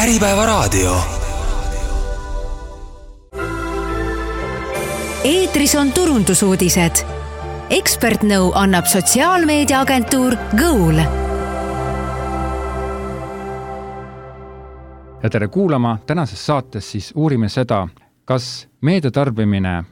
Äripäevaraadio. Eetris on turundusuudised. Ekspertnõu annab sotsiaalmeediaagentuur Goal. Ja tere kuulama. Tänases saates siis uurime seda, kas meediatarbimine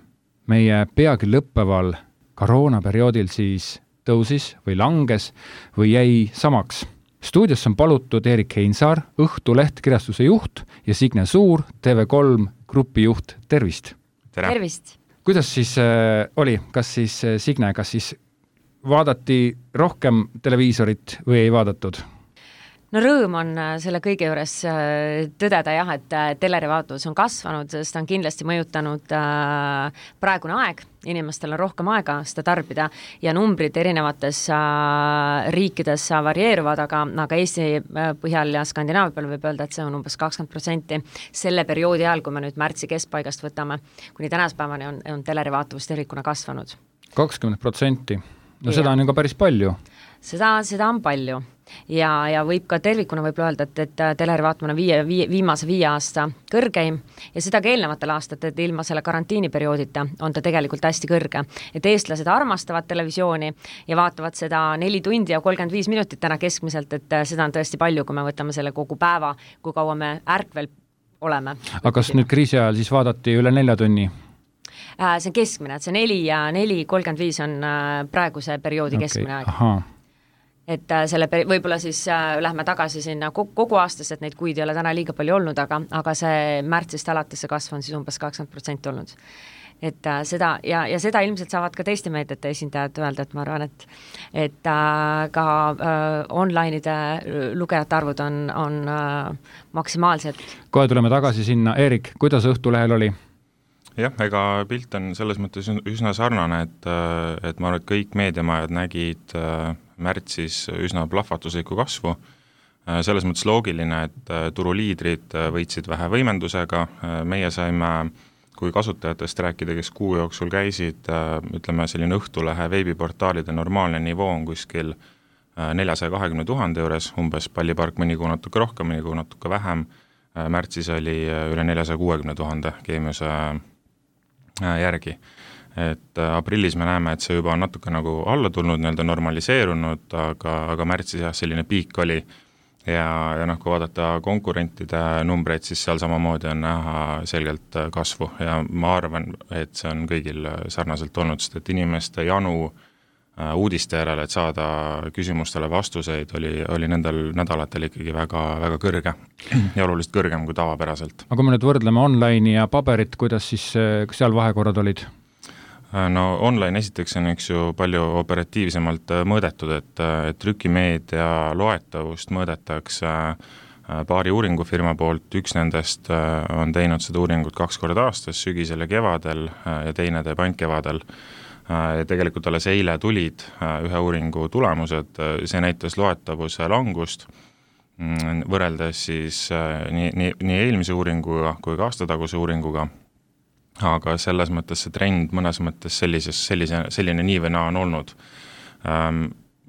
meie peagi lõppeval koroonaperioodil siis tõusis või langes või jäi samaks. Stuudios on palutud Erik Heinsaar, Õhtuleht kirjastuse juht ja Signe Suur, TV3 grupi juht. Tervist! Tervist! Kuidas siis oli? Kas siis Signe, kas siis vaadati rohkem televiisorit või ei vaadatud? No rõõm on selle kõige juures tõdeda jah, et telerivaatus on kasvanud, sest on kindlasti mõjutanud praegune aeg. Inimestel on rohkem aega seda tarbida ja numbrid erinevates riikides varieeruvad, aga Eesti põhjal ja Skandinaavia peal võib öelda, et see on umbes 20% selle perioodi ajal, kui me nüüd märtsi keskpaigast võtame, kuni tänaspäevani on telerivaatus tervikuna kasvanud. 20%? No seda on ju ka päris palju. Seda on palju. Ja võib ka tervikuna võib öelda, et telerivaatamine on viimase 5 aasta kõrgeim ja seda ka eelnevatel aastat, et ilma selle karantiiniperioodita on ta tegelikult hästi kõrge. Et eestlased armastavad televisiooni ja vaatavad seda 4 tundi ja 35 minutit täna keskmiselt, et seda on tõesti palju, kui me võtame selle kogu päeva, kui kaua me ärkvel oleme. Aga kas nüüd kriisi ajal siis vaadati üle 4 tunni? See on keskmine, et see 4 ja 4.35 on praeguse perioodi keskmine aeg. Aha. Et selle võib-olla siis lähme tagasi sinna kogu aastas, et neid kuid ei ole täna liiga palju olnud, aga see märtsist alates see kasv on siis umbes 20% olnud. Et seda, ja seda ilmselt saavad ka teiste meediate esindajad öelda, et ma arvan, et ka online'ide lugejate arvud on maksimaalsed. Kohe tuleme tagasi sinna. Erik, kuidas Õhtulehel oli? Jah, ega pilt on selles mõttes üsna sarnane, et ma arvan, et kõik meediamajad nägid märtsis üsna plahvatuslikku kasvu. Selles mõttes loogiline, et turuliidrid võitsid vähe võimendusega. Meie saime, kui kasutajatest rääkida, kes kuu jooksul käisid, ütleme selline Õhtulehe veebiportaalide normaalne nivoo on kuskil 420 000 juures, umbes Pallipark mõni kuu natuke rohkem, mõni kuu natuke vähem. Märtsis oli üle 460 000 Keemiuse järgi. Et aprillis me näeme, et see juba on natuke nagu alla tulnud, normaliseerunud, aga märtsis jah, selline piik oli ja kui vaadata konkurentide numbreid, siis seal samamoodi on näha selgelt kasvu ja ma arvan, et see on kõigil sarnaselt olnud, sest et inimeste janu uudiste järele, et saada küsimustele vastuseid, oli nendel nädalatel ikkagi väga, väga kõrge ja oluliselt kõrgem kui tavapäraselt. Aga kui me nüüd võrdleme online'i ja paberit, kuidas siis seal vahekorrad olid? No online esiteks on üks ju palju operatiivsemalt mõõdetud, et trükimeedia loetavust mõõdetakse paari uuringufirma poolt. Üks nendest on teinud seda uuringut 2 korda aastas, sügisel ja kevadel ja teine teeb ainult kevadel. Ja tegelikult alles eile tulid ühe uuringu tulemused, see näitas loetavuse langust võrreldes siis nii eelmise uuringuga kui ka aastataguse uuringuga, aga selles mõttes see trend mõnes mõttes selline nii või naa on olnud.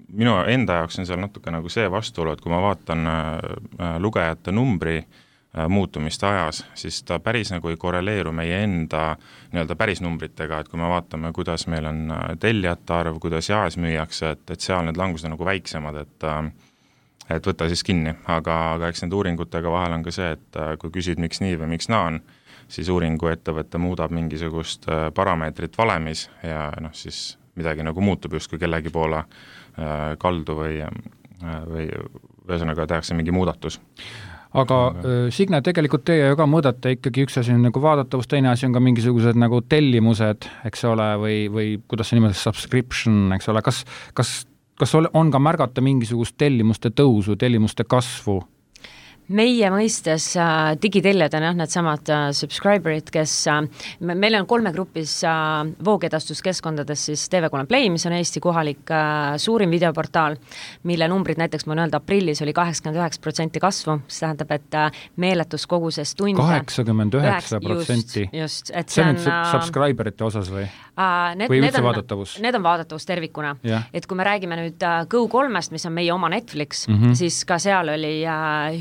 Minu enda jaoks on seal natuke nagu see vastuolu, et kui ma vaatan lugejate numbri muutumist ajas, siis ta päris nagu ei korreleeru meie enda päris numbritega, et kui me vaatame, kuidas meil on tellijate arv, kuidas jaes müüakse, et seal need langused on nagu väiksemad, et võtta siis kinni, aga eks need uuringutega vahel on ka see, et kui küsid miks nii või miks naa on, siis uuringu ettevõtte muudab mingisugust parameetrit valemis ja siis midagi nagu muutub just, kui kellegi poole kaldu või ühesõnaga tehakse mingi muudatus. Aga Signe, tegelikult teie ju ka mõõdate ikkagi, üks asi on nagu vaadatavus, teine asi on ka mingisugused nagu tellimused, eks ole, või kuidas see niimoodi subscription, eks ole, kas on ka märgata mingisugust tellimuste tõusu, tellimuste kasvu? Meie mõistes digitellijad on need samad subscriberid, kes meil on 3 grupis voogedastuskeskkondades siis TV3 Play, mis on Eesti kohalik suurim videoportaal, mille numbrid näiteks ma öelda aprillis oli 89% kasvu, see tähendab, et meeletus koguses tunde 89%? Just, et see on subscriberite osas või? Või üldse vaadatavus? Need on vaadatavus tervikuna. Et kui me räägime nüüd Go3-st, mis on meie oma Netflix, siis ka seal oli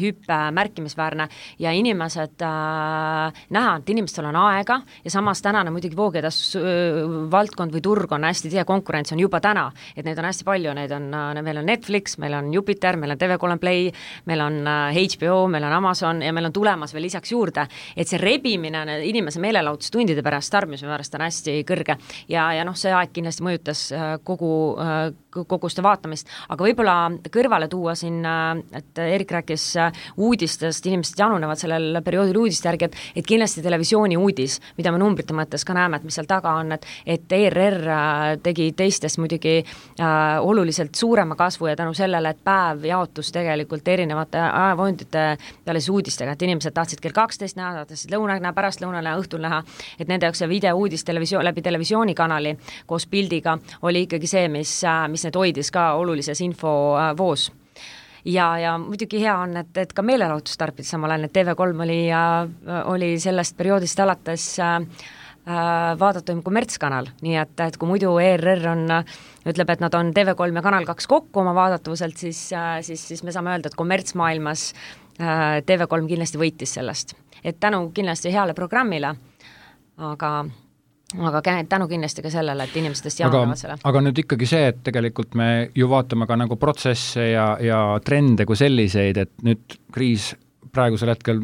hüppe märkimisväärne ja inimesed näha, et inimestel on aega ja samas tänane muidugi voogedas valdkond või turg on hästi tihe, konkurents on juba täna, et neid on hästi palju, meil on Netflix, meil on Jupiter, meil on TV3 Play, meil on HBO, meil on Amazon ja meil on tulemas veel lisaks juurde, et see rebimine inimese meelelahutustundide pärast, tarbimise pärast on hästi kõrge ja see aeg kindlasti mõjutas kogu seda vaatamist, aga võib-olla kõrvale tuua siin, et Erik rääkis uudistest, inimesed janunevad sellel perioodil uudiste järgi, et kindlasti televisiooni uudis, mida me numbrite mõttes ka näeme, et mis seal taga on, et ERR tegi teistest muidugi oluliselt suurema kasvu ja tänu sellele, et päev jaotus tegelikult erinevate ajavondite peale siis uudistega, et inimesed tahtsid kell 12 näha, tahtsid lõuna näha, pärastlõuna näha, õhtul näha, et nende jaoks see videouudis läbi televisioonikanali koos pildiga oli ikkagi see, mis need hoidis ka olulises infovoos. Ja muidugi hea on, et ka meelelahutus tarbida samal ajal, et TV3 oli sellest perioodist alates vaadatuim kommertskanal, nii et kui muidu ERR ütleb, et nad on TV3 ja Kanal 2 kokku oma vaadatuvuselt, siis me saame öelda, et kommertsmaailmas TV3 kindlasti võitis sellest. Et tänu kindlasti heale programmile, aga tänu kindlasti ka sellele, et inimestest jaonevad selle. Aga nüüd ikkagi see, et tegelikult me ju vaatame ka nagu protsesse ja trende kui selliseid, et nüüd kriis praegusel hetkel,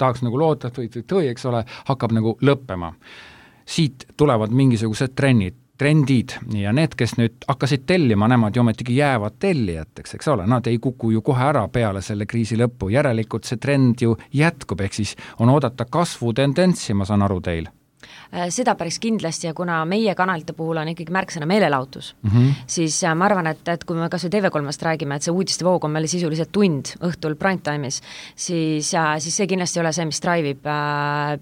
tahaks nagu loota, või tõi, eks ole, hakkab nagu lõppema. Siit tulevad mingisugused trendid ja need, kes nüüd hakkasid tellima, nemad ju ometigi jäävad tellijateks, eks ole, nad ei kuku ju kohe ära peale selle kriisi lõppu, järelikult see trend ju jätkub, ehk siis on oodata kasvutendentsi, ma saan aru teil. Seda päris kindlasti ja kuna meie kanalite puhul on ikkagi märksõna meelelahutus, siis ma arvan, et kui me kas või TV3-st räägime, et see uudiste voog on meil sisuliselt tund õhtul primetime'is, siis see kindlasti ei ole see, mis drive'ib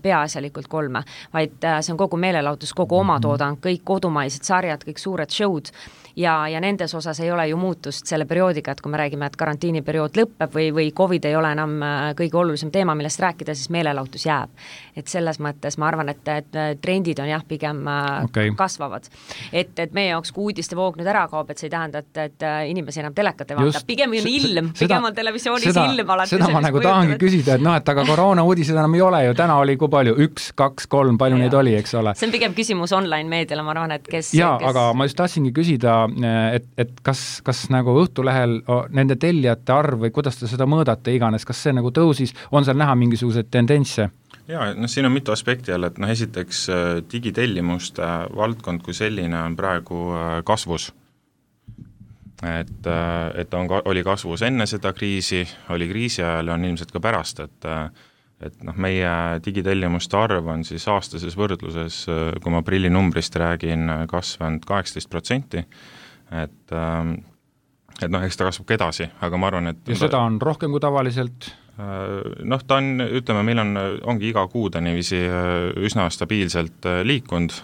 peaasjalikult 3, vaid see on kogu meelelahutus, kogu omatoodang, kõik kodumaised sarjad, kõik suured show'd ja nendes osas ei ole ju muutust selle perioodiga, et kui me räägime, et karantiiniperiood lõpeb või COVID ei ole enam kõige olulisem teema, millest rääkida, siis meelelahutus jääb. Et selles mõttes ma arvan, et trendid on jah, pigem kasvavad. Et meie jaoks, kui uudiste voog nüüd ära kaob, et see ei tähenda, et inimesi enam telekat ei vaata. Pigem on ilm, pigem on televisioonis ilm alati. Seda ma nagu tahangi küsida, et aga koroona uudised enam ei ole ju, täna oli kui palju, 1, 2, 3, palju neid oli, eks ole. See on pigem küsimus online meediale, ma arvan, et kes... aga ma just tahtsingi küsida, et kas nagu Õhtulehel nende tellijate arv või kuidas te seda mõõdate iganes, kas see nagu tõusis, on seal näha mingisugused tendentse? Jaa, siin on mitu aspekti jälle, et esiteks digitellimuste valdkond kui selline on praegu kasvus. Et oli kasvus enne seda kriisi, oli kriisi ajal ja on ilmselt ka pärast, et meie digitellimuste arv on siis aastases võrdluses, kui ma aprillinumbrist räägin, kasvanud 18%, et eks ta kasvab ka edasi, aga ma arvan, et... Ja seda on rohkem kui tavaliselt? Ta on, ütleme, meil ongi iga kuu ta niiviisi üsna stabiilselt liikunud,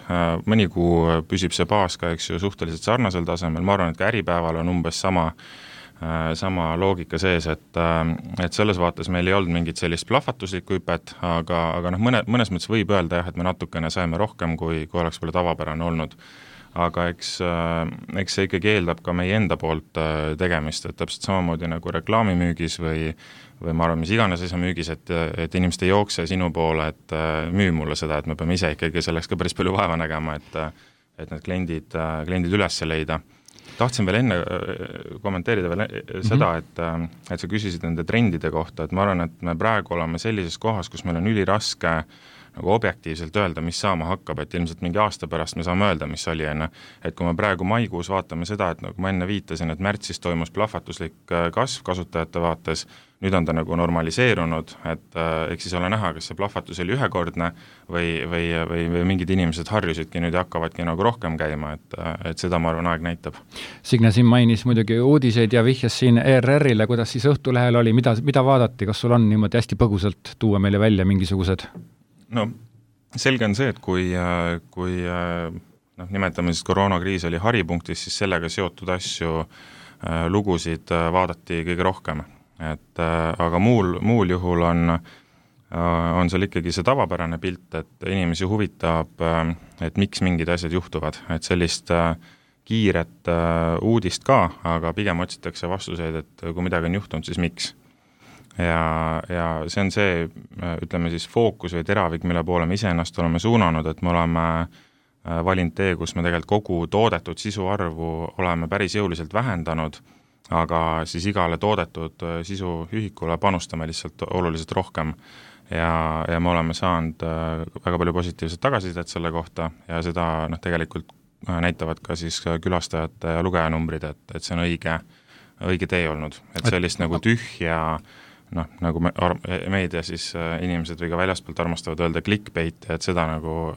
mõni kuu püsib see baas ka, eks ju, suhteliselt sarnasel tasemel, ma arvan, et ka Äripäeval on umbes sama loogika sees, et selles vaates meil ei olnud mingit sellist plahvatuslikku hüpet, aga mõnes mõttes võib öelda jah, et me natukene saime rohkem, kui oleks palju tavapärane olnud. Aga eks see ikkagi eeldab ka meie enda poolt tegemist, et täpselt samamoodi nagu reklaamimüügis või ma arvan, mis iganes asja müügis, et inimesed ei jookse sinu poole, et müü mulle seda, et me peame ise ikkagi selleks ka päris palju vaeva nägema, et need kliendid üles leida. Tahtsin veel enne kommenteerida veel seda, et sa küsisid nende trendide kohta, et ma arvan, et me praegu oleme sellises kohas, kus meil on üliraske nagu objektiivselt öelda, mis saama hakkab, et ilmselt mingi aasta pärast me saame öelda, mis oli enne. Et kui me praegu maikuus vaatame seda, et nagu ma enne viitasin, et märtsis toimus plahvatuslik kasv kasutajate vaates, nüüd on ta nagu normaliseerunud, et eks siis ole näha, kas see plahvatus oli ühekordne või mingid inimesed harjusidki nüüd ja hakkavadki nagu rohkem käima, et seda ma arvan aeg näitab. Signe siin mainis muidugi uudiseid ja vihjas siin ERR-ile, kuidas siis Õhtulehel oli, mida vaadati, kas sul on niimoodi hästi põgusalt tuua meile välja mingisugused? No selge on see, et kui nimetame siis koroonakriis oli haripunktis, siis sellega seotud asju, lugusid vaadati kõige rohkem. Aga muul juhul on seal ikkagi see tavapärane pilt, et inimesi huvitab, et miks mingid asjad juhtuvad, et sellist kiiret uudist ka, aga pigem otsitakse vastuseid, et kui midagi on juhtunud, siis miks. ja see on see, ütleme siis fookus või teravik, mille poole me iseennast oleme suunanud, et me oleme valinud tee, kus me tegelikult kogu toodetud sisu arvu oleme päris jõuliselt vähendanud, aga siis igale toodetud sisuühikule panustame lihtsalt oluliselt rohkem ja me oleme saanud väga palju positiivset tagasisidet selle kohta ja seda tegelikult näitavad ka siis külastajate ja lugejanumbrid, et see on õige tee olnud, et sellist nagu tühja nagu meedia siis inimesed või ka väljaspoolt armastavad öelda clickbait, et seda nagu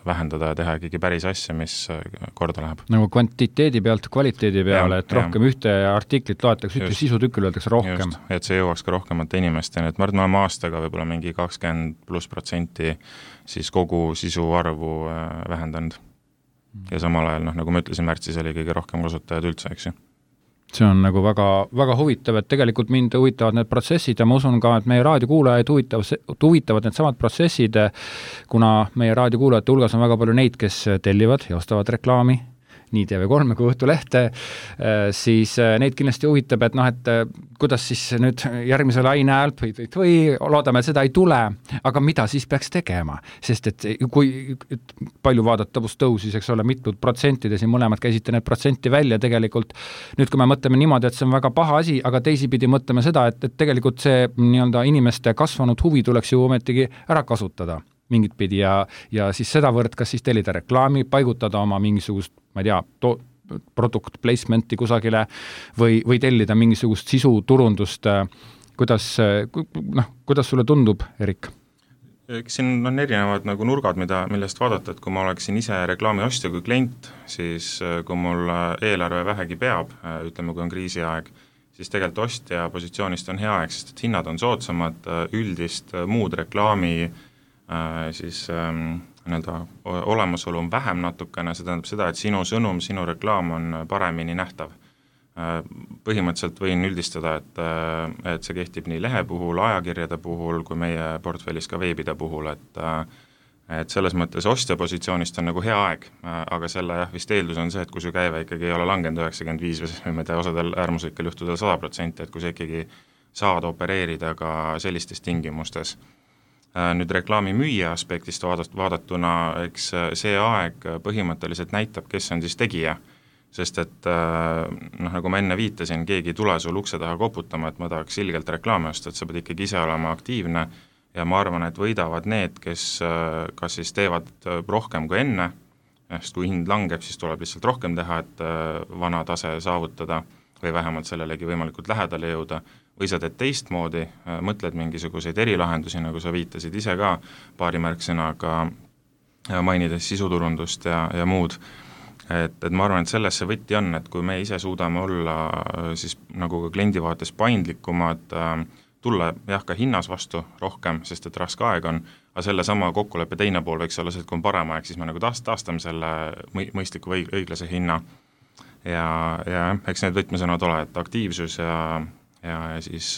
vähendada ja teha ikkagi päris asja, mis korda läheb. Nagu kvantiteedi pealt kvaliteedi peale, et rohkem ühte artiklit loetakse, ühte sisutükil öeldakse rohkem. Just, et see jõuaks ka rohkemate inimesteni, et ma arvan, oleme aastaga võib-olla mingi 20+% siis kogu sisu arvu vähendanud. Ja samal ajal, nagu ma ütlesin, märtsis oli kõige rohkem kasutajad üldse, eks ju. See on nagu väga, väga huvitav, et tegelikult mind huvitavad need protsessid ja ma usun ka, et meie raadiokuulajaid huvitavad need samad protsessid, kuna meie raadiokuulajate hulgas on väga palju neid, kes tellivad ja ostavad reklaami, nii TV3 kui Õhtulehte, siis neid kindlasti huvitab, et et kuidas siis nüüd järgmise laine häält või loodame, et seda ei tule, aga mida siis peaks tegema? Sest et kui palju vaadatavust tõusis, eks ole, mitud protsentide, siin mõlemad käisite need protsenti välja tegelikult. Nüüd, kui me mõtleme niimoodi, et see on väga paha asi, aga teisipidi mõtleme seda, et tegelikult see inimeste kasvanud huvi tuleks ju ometigi ära kasutada mingit pidi ja siis sedavõrd, kas siis tellida reklaami, paigutada oma mingisugust, ma ei tea, product placement'i kusagile või tellida mingisugust sisuturundust. Kuidas sulle tundub, Erik? Siin on erinevad nagu nurgad, millest vaadata, et kui ma oleksin ise reklaami ostja kui klient, siis kui mul eelarve vähegi peab, ütleme, kui on kriisiaeg, siis tegelikult ostja positsioonist on hea aeg, sest et hinnad on soodsamad, üldist muud reklaami siis olemasolu on vähem natukene, see tähendab seda, et sinu sõnum, sinu reklaam on paremini nähtav. Põhimõtteliselt võin üldistada, et see kehtib nii lehe puhul, ajakirjade puhul, kui meie portfellis ka veebide puhul, et selles mõttes ostja positsioonist on nagu hea aeg, aga selle vist eeldus on see, et kui su käive ikkagi ei ole langenud 95 või ma ei tea, osadel äärmuslikel juhtudel 100%, et kui sa ikkagi saad opereerida ka sellistes tingimustes. Nüüd reklaami müüja aspektist vaadatuna, eks see aeg põhimõtteliselt näitab, kes on siis tegija, sest et nagu ma enne viitasin, keegi ei tule sul ukse taha koputama, et ma tahaks ilgelt reklaami osta, et sa pead ikkagi ise olema aktiivne ja ma arvan, et võidavad need, kes kas siis teevad rohkem kui enne, sest kui hind langeb, siis tuleb lihtsalt rohkem teha, et vana tase saavutada või vähemalt sellelegi võimalikult lähedale jõuda, või sa teed teistmoodi, mõtled mingisuguseid erilahendusi, nagu sa viitasid ise ka paari märksõnaga mainides sisuturundust ja muud. Et ma arvan, et selles see võtti on, et kui me ise suudame olla siis nagu ka kliendi vaates paindlikumad, tulla ka hinnas vastu rohkem, sest et raske aeg on, aga selle sama kokkuleppe teine pool võiks olla see, et kui on parem aeg, siis me nagu taastame selle mõistliku või õiglase hinna. Ja eks need võtmesõnad ole, et aktiivsus ja siis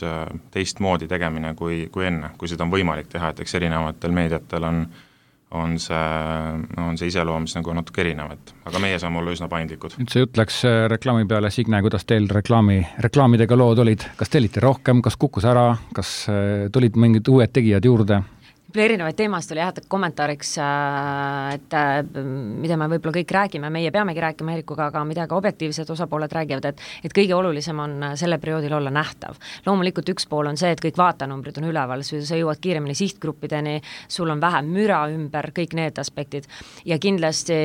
teistmoodi tegemine kui enne, kui seda on võimalik teha, et eks erinevatel meediatel on see iseloomis nagu natuke erinevad, aga meie saame olla üsna paindlikud. Nüüd see jutt läks reklaami peale, Signe, kuidas teil reklaamidega lood olid, kas tellite rohkem, kas kukkus ära, kas tulid mingid uued tegijad juurde? Erinevaid teemast oli kommentaariks, et mida me võib-olla kõik räägime, meie peamegi rääkima Erikuga, aga mida ka objektiivsed osapooled räägivad, et kõige olulisem on selle perioodil olla nähtav. Loomulikult üks pool on see, et kõik vaatanumbrid on üleval, sa jõuad kiiremini sihtgruppideni, sul on vähem müra ümber, kõik need aspektid. Ja kindlasti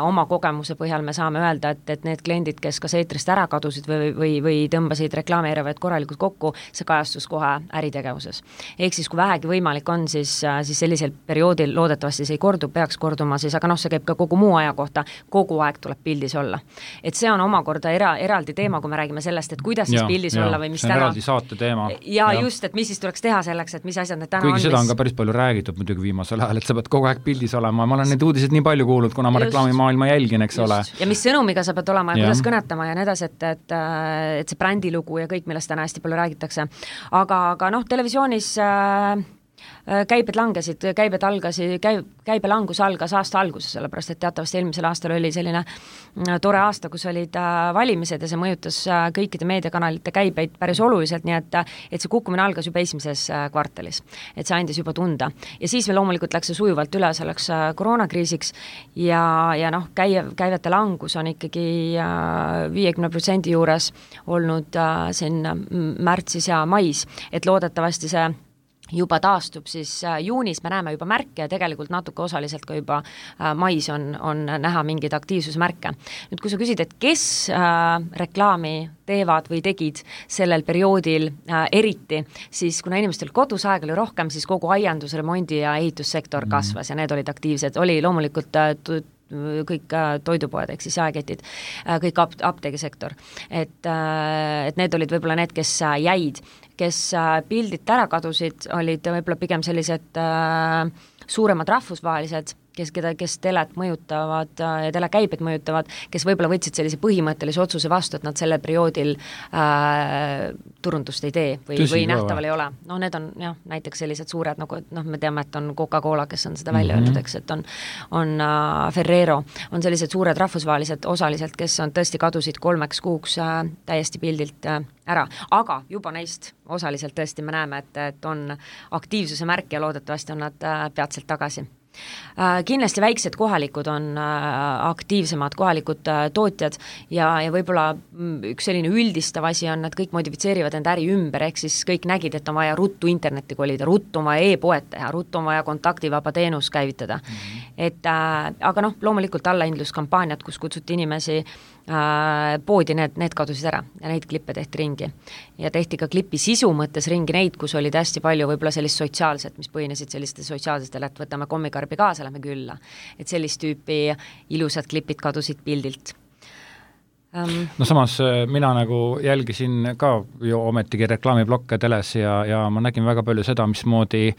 oma kogemuse põhjal me saame öelda, et need kliendid, kes kas eetrist ära kadusid või tõmbasid reklaamieeravaid korralikult kokku, see kajastus kohe äritegevuses. Ehk siis, kui vähegi võimalik on, siis sellisel perioodil loodetavasti see ei kordu, peaks korduma siis, aga see käib ka kogu muu aja kohta, kogu aeg tuleb pildis olla. Et see on omakorda eraldi teema, kui me räägime sellest, et kuidas siis pildis olla või mis täna. See on eraldi saate teema. Ja just, et mis siis tuleks teha selleks, et mis asjad need täna on. Kuigi seda on ka päris palju räägitud muidugi viimasel ajal, et sa pead kogu aeg pildis olema. Ma olen neid uudiseid nii palju kuulnud, kuna ma reklaamimaailma jälgin, eks ole. Ja mis sõnumiga sa pead olema ja kuidas kõnetama ja nedas, et see brändilugu ja kõik, millest täna hästi palju räägitakse. Aga televisioonis käibed langesid, käibe langus algas aasta alguses, sellepärast et teatavasti eelmisel aastal oli selline tore aasta, kus olid valimised ja see mõjutas kõikide meediakanalite käibeid päris oluliselt, nii et see kukkumine algas juba esimeses kvartalis. Et see andis juba tunda. Ja siis veel loomulikult läks see sujuvalt üle selleks koroonakriisiks ja noh, käivete langus on ikkagi 50% juures olnud siin märtsis ja mais, et loodetavasti see juba taastub, siis juunis me näeme juba märke ja tegelikult natuke osaliselt ka juba mais on näha mingeid aktiivsusmärke. Nüüd, kui sa küsid, et kes reklaami teevad või tegid sellel perioodil eriti, siis kuna inimestel kodus aeg oli rohkem, siis kogu aiandus, remondi ja ehitussektor kasvas ja need olid aktiivsed. Oli loomulikult kõik toidupoed, ehk siis jaeketid, kõik apteegisektor. Et need olid võib-olla need, kes jäid, kes pildid ära kadusid, olid võib-olla pigem sellised suuremad rahvusvahelised, kes telet mõjutavad ja telekäibed mõjutavad, kes võib-olla võtsid sellise põhimõttelise otsuse vastu, et nad sellel perioodil turundust ei tee või nähtaval ei ole. No need on jah, näiteks sellised suured, nagu me teame, et on Coca-Cola, kes on seda välja öelnud, eks, et on Ferrero, on sellised suured rahvusvahelised osaliselt, kes on tõesti kadusid 3 kuuks täiesti pildilt ära, aga juba neist osaliselt tõesti me näeme, et on aktiivsuse märk ja loodetavasti on nad peatselt tagasi. Kindlasti väiksed kohalikud on aktiivsemad kohalikud tootjad ja võib-olla üks selline üldistav asi on, et kõik modifitseerivad enda äri ümber, ehk siis kõik nägid, et on vaja ruttu internetti kolida, ruttu on vaja e-poed teha, ruttu on vaja kontaktivaba teenus käivitada. Aga loomulikult allahindluskampaaniad, kus kutsuti inimesi poodi, need kadusid ära ja neid klippe tehti ringi. Ja tehti ka klipi sisu mõttes ringi neid, kus olid hästi palju võib-olla sellist sotsiaalset, mis põhinesid selliste sotsiaalsetele, et võtame kommikarbi kaasa, lähme külla. Et sellist tüüpi ilusad klipid kadusid pildilt. No samas mina nagu jälgisin ka ju ometigi reklaamiblokke teles ja ma nägin väga palju seda, mismoodi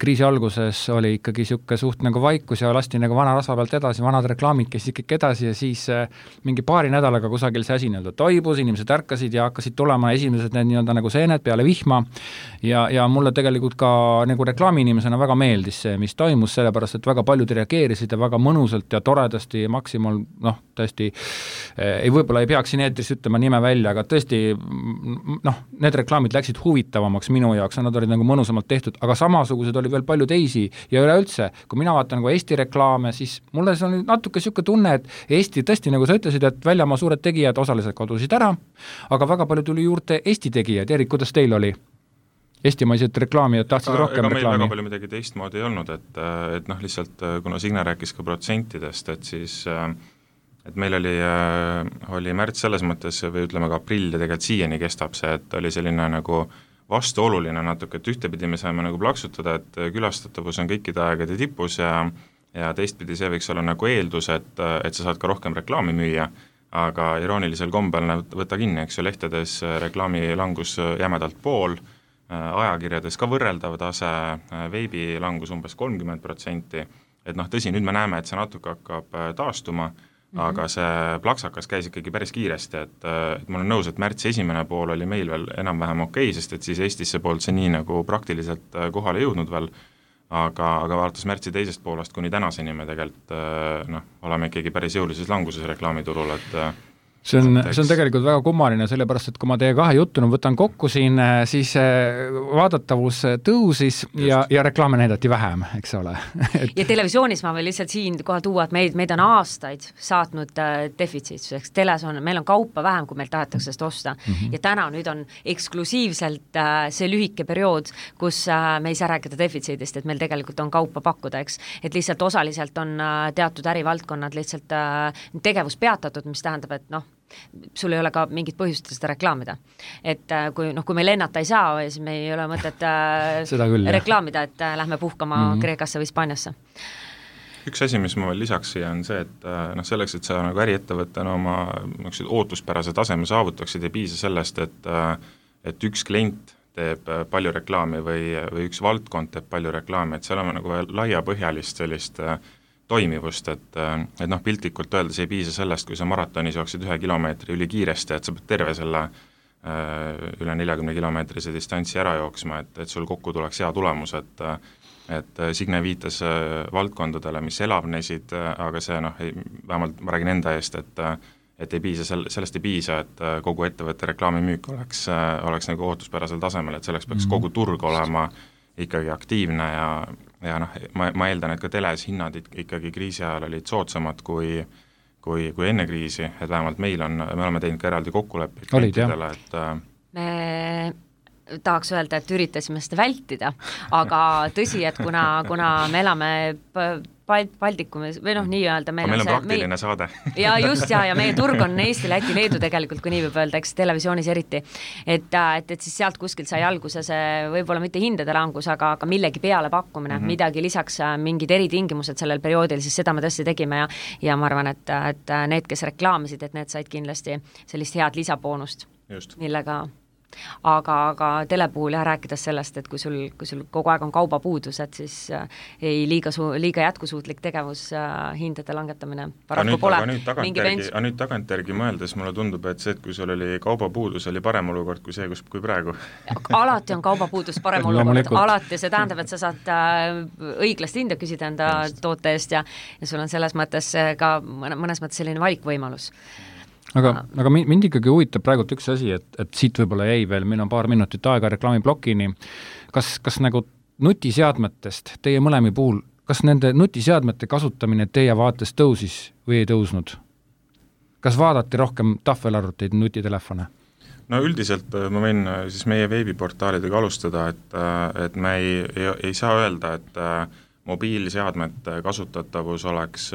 kriisi alguses oli ikkagi siuke suht nagu vaikus ja lasti nagu vana rasva pealt edasi, vanad reklaamid käis ikkagi edasi ja siis mingi paari nädalaga kusagil see asi toibus, inimesed ärkasid ja hakkasid tulema esimesed need nagu seened peale vihma ja mulle tegelikult ka nagu reklaamiinimesena väga meeldis see, mis toimus, sellepärast, et väga paljud reageerisid ja väga mõnusalt ja toredasti Maximal, tõesti võib-olla ei peaks siin eetris ütlema nime välja, aga tõesti need reklaamid läksid huvitavamaks minu jaoks, nad olid nagu mõnusamalt tehtud, aga samasugused oli veel palju teisi ja üleüldse, kui mina vaatan nagu Eesti reklaame, siis mulle see on natuke siuke tunne, et Eesti tõesti, nagu sa ütlesid, et väljamaa suured tegijad osaliselt kadusid ära, aga väga palju tuli juurde Eesti tegijad. Erik, kuidas teil oli? Eestimaised reklaamijad tahtsid rohkem reklaami? Ega meil väga palju midagi teistmoodi ei olnud, et lihtsalt kuna Signe rääkis ka protsentidest, et siis et meil oli märts selles mõttes või ütleme ka aprill ja tegelikult siiani kestab see, et oli selline nagu vastuoluline natuke, et ühtepidi me saime nagu plaksutada, et külastatavus on kõikide aegade tipus ja teistpidi see võiks olla nagu eeldus, et sa saad ka rohkem reklaami müüa, aga iroonilisel kombel võtta kinni, eks ju, lehtedes reklaami langus jämedalt pool, ajakirjades ka võrreldav tase, veebi langus umbes 30%, et tõsi, nüüd me näeme, et see natuke hakkab taastuma, aga see plaksakas käis ikkagi päris kiiresti, et ma olen nõus, et märtsi esimene pool oli meil veel enam-vähem okei, sest et siis Eestisse poolt see nii nagu praktiliselt kohale jõudnud veel, aga vaadates märtsi teisest poolest kuni tänaseni me tegelikult oleme ikkagi päris jõulises languses reklaamiturul, et See on tegelikult väga kummaline, sellepärast, et kui ma teie kahe juttu võtan kokku siin, siis vaadatavus tõusis ja reklaame näidati vähem, eks ole. Ja televisioonis ma veel lihtsalt siin kohe tuua, et meid on aastaid saatnud defitsiitsuseks. Meil on kaupa vähem, kui meil tahetakse seda osta. Ja täna nüüd on eksklusiivselt see lühike periood, kus me ei saa rääkida defitsiidist, et meil tegelikult on kaupa pakkuda, eks. Et lihtsalt osaliselt on teatud ärivaldkonnad lihtsalt tegevus peatatud, mis tähendab, et sul ei ole ka mingit põhjust seda reklaamida. Et kui me lennata ei saa, siis me ei ole mõtet reklaamida, et lähme puhkama Kreekasse või Hispaaniasse. Üks asi, mis ma veel lisaks siia on see, et selleks, et sa nagu äriettevõttena oma ootuspärase taseme saavutaksid, ei piisa sellest, et üks klient teeb palju reklaami või üks valdkond teeb palju reklaami, et seal on nagu laiapõhjalist sellist toimivust, et piltlikult öeldes ei piisa sellest, kui sa maratonis jooksid 1 kilomeetri üli kiiresti, et sa pead terve selle üle 40-kilomeetrise distantsi ära jooksma, et sul kokku tuleks hea tulemus, et Signe viitas valdkondadele, mis elavnesid, aga see vähemalt ma räägin enda eest, et ei piisa, sellest ei piisa, et kogu ettevõtte reklaamimüük oleks nagu ootuspärasel tasemel, et selleks peaks kogu turg olema ikkagi aktiivne ja ma eeldan, et ka teles hinnad ikkagi kriisi ajal olid soodsamad kui enne kriisi, et vähemalt me oleme teinud ka eraldi kokkuleppeid klientidele, et me tahaks öelda, et üritasime seda vältida, aga tõsi, et kuna me elame Baltikumis või nii-öelda meil on praktiline saade. ja just, ja meie turg on Eesti, Läti, Leedu tegelikult, kui nii võib öelda, eks televisioonis eriti, et siis sealt kuskilt sai alguse see võib-olla mitte hindade langus, aga millegi peale pakkumine, midagi lisaks, mingid eritingimused sellel perioodil, siis seda me tõesti tegime ja ma arvan, et need, kes reklaamisid, et need said kindlasti sellist head lisaboonust, millega aga tele puhul rääkides sellest, et kui sul kogu aeg on kaubapuudus, et siis ei liiga jätkusuutlik tegevus hindade langetamine paraku pole. Aga nüüd tagantjärgi mõeldes mulle tundub, et see, et kui sul oli kaubapuudus, oli parem olukord kui see, kui praegu. Alati on kaubapuudus parem olukord, alati, see tähendab, et sa saad õiglast hinda küsida enda toote eest ja sul on selles mõttes ka mõnes mõttes selline valikvõimalus. Aga mind ikkagi huvitab praegult üks asi, et siit võib-olla jäi veel, meil on paar minutit aega reklaamiblokini, kas nagu nutiseadmetest teie mõlemi puhul, kas nende nutiseadmete kasutamine teie vaates tõusis või ei tõusnud? Kas vaadati rohkem tahvelarvuteid, nutitelefone? No üldiselt ma võin siis meie veebiportaalidega alustada, et me ei saa öelda, et mobiilseadmete kasutatavus oleks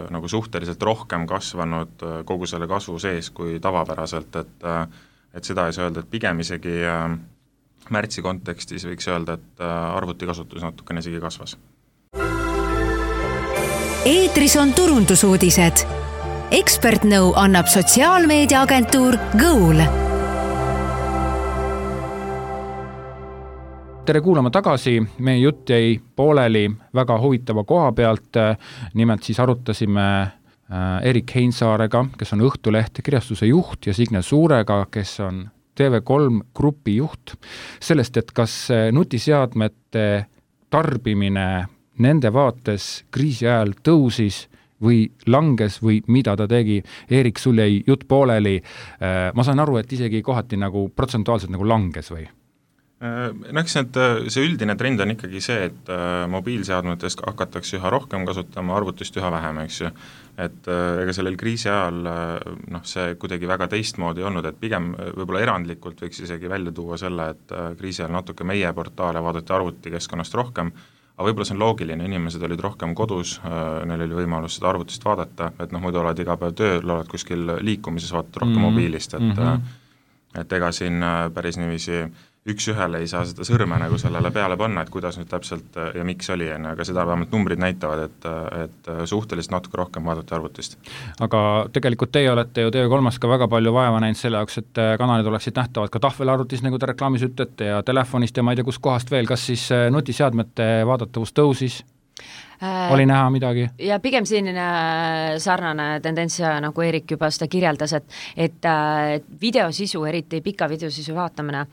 nagu suhteliselt rohkem kasvanud kogu selle kasvu sees kui tavapäraselt, et seda ei saa öelda, et pigem isegi märtsi kontekstis võiks öelda, et arvutikasutus natukene isegi kasvas. Eetris on turundusuudised. Ekspertnõu annab sotsiaalmeediaagentuur Goal. Tere kuulama tagasi, meie jutt jäi pooleli väga huvitava koha pealt, nimelt siis arutasime Erik Heinsaarega, kes on Õhtuleht kirjastuse juht ja Signe Suurega, kes on TV3 grupi juht, sellest, et kas nutiseadmete tarbimine nende vaates kriisi ajal tõusis või langes või mida ta tegi. Erik, sul jäi jutt pooleli, ma saan aru, et isegi kohati nagu protsentuaalselt nagu langes või? Eks see üldine trend on ikkagi see, et mobiilseadmetest hakatakse üha rohkem kasutama, arvutist üha vähem, eks ju. Et ega sellel kriisi ajal see kuidagi väga teistmoodi olnud, et pigem võib-olla erandlikult võiks isegi välja tuua selle, et kriisi ajal natuke meie portaale vaadati arvutikeskkonnast rohkem, aga võib-olla see on loogiline, inimesed olid rohkem kodus, neil oli võimalus seda arvutist vaadata, et muidu oled iga päev tööl, oled kuskil liikumises, vaatad rohkem mobiilist, et ega siin päris niiviisi üks-ühele ei saa seda sõrme nagu sellele peale panna, et kuidas nüüd täpselt ja miks oli, aga seda vähemalt numbrid näitavad, et suhteliselt natuke rohkem vaadati arvutist. Aga tegelikult teie olete ju TV3-s ka väga palju vaeva näinud selle jaoks, et kanalid oleksid nähtavad ka tahvelarvutis, nagu te reklaamis ütlete, ja telefonist ja ma ei tea, kus kohast veel, kas siis nutiseadmete vaadatavus tõusis? Oli näha midagi? Ja pigem selline sarnane tendents, nagu Erik juba seda kirjeldas, et videosisu, eriti pika videosisu vaatamine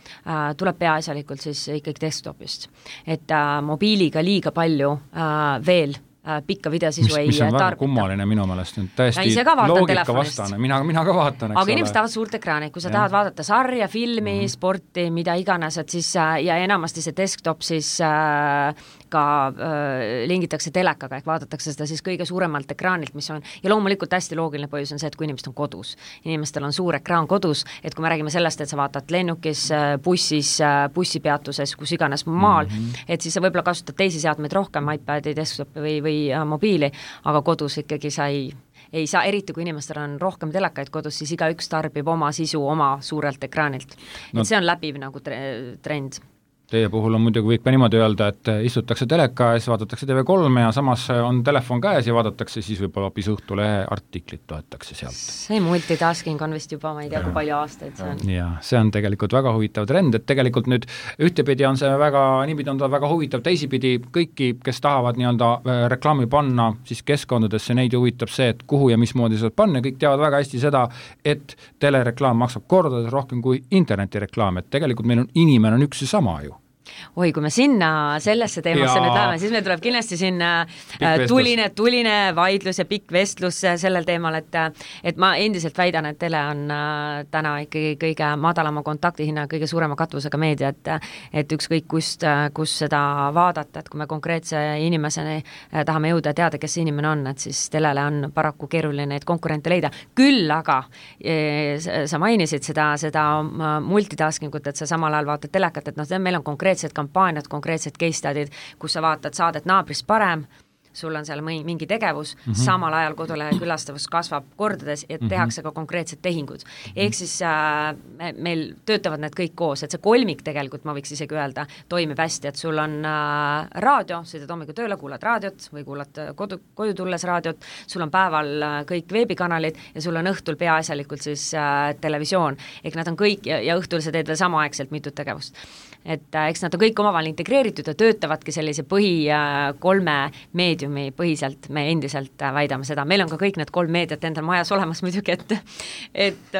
tuleb peaasjalikult siis ikkagi desktopist. Et mobiiliga liiga palju veel pikka videosisu ei tarbita. Mis on väga kummaline minu meelest, täiesti loogika vastane, mina ka vaatan. Aga inimesed tahavad suurt ekraani, kui sa tahad vaadata sarja, filmi, sporti, mida iganes, et siis ja enamasti see desktop siis ka lingitakse telekaga, ehk vaadatakse seda siis kõige suuremalt ekraanilt, mis on, ja loomulikult hästi loogiline põhjus on see, et kui inimesed on kodus. Inimestel on suur ekraan kodus, et kui me räägime sellest, et sa vaatad lennukis, bussis, bussipeatuses, kus iganes maal, et siis sa võib-olla kasutad teisi seadmeid rohkem, iPadi, desktopi või mobiili, aga kodus ikkagi sa ei saa, eriti kui inimestel on rohkem telekaid kodus, siis igaüks tarbib oma sisu oma suurelt ekraanilt. Et see on läbiv nagu trend. Teie puhul on muidugi, võib ka niimoodi öelda, et istutakse teleka ees, vaadatakse TV3 ja samas on telefon käes ja vaadatakse siis võib-olla hoopis Õhtulehe artiklit loetakse sealt. See multitasking on vist juba, ma ei tea, kui palju aastaid see on. Ja see on tegelikult väga huvitav trend, et tegelikult nüüd ühtepidi on see väga, niipidi on ta väga huvitav, teisipidi kõiki, kes tahavad nii-öelda reklaami panna siis keskkondadesse, neid huvitab see, et kuhu ja mismoodi seda panna, kõik teavad väga hästi seda, et telereklaam maksab kordades rohkem kui internetireklaam, et tegelikult meil on inimene on üks ja sama ju. Oi, kui me sinna sellesse teemasse nüüd läheme, siis meil tuleb kindlasti sinna tuline vaidlus ja pikk vestlus sellel teemal, et ma endiselt väidan, et tele on täna ikkagi kõige madalama kontaktihinna, kõige suurema katvusega meedia, et ükskõik kus seda vaadata, et kui me konkreetse inimeseni tahame jõuda ja teada, kes see inimene on, et siis telele on paraku keeruline neid konkurente leida. Küll aga sa mainisid seda multitaskingut, et sa samal ajal vaatad telekat, et meil on konkreetsed kampaaniad, konkreetsed case study'd, kus sa vaatad saadet Naabrist parem, sul on seal mingi tegevus, samal ajal kodulehe külastavus kasvab kordades ja tehakse ka konkreetsed tehingud. Ehk siis meil töötavad need kõik koos, et see kolmik tegelikult, ma võiks isegi öelda, toimib hästi, et sul on raadio, sõidad hommikul tööle, kuulad raadiot või kuulad koju tulles raadiot, sul on päeval kõik veebikanalid ja sul on õhtul peaasjalikult siis televisioon. Ehk nad on kõik ja õhtul sa teed veel samaaegselt mitut tegevust. Et eks nad on kõik omavahel integreeritud ja töötavadki sellise kolme meediumi põhiselt, me endiselt väidame seda. Meil on ka kõik need 3 meediat endal majas olemas muidugi, et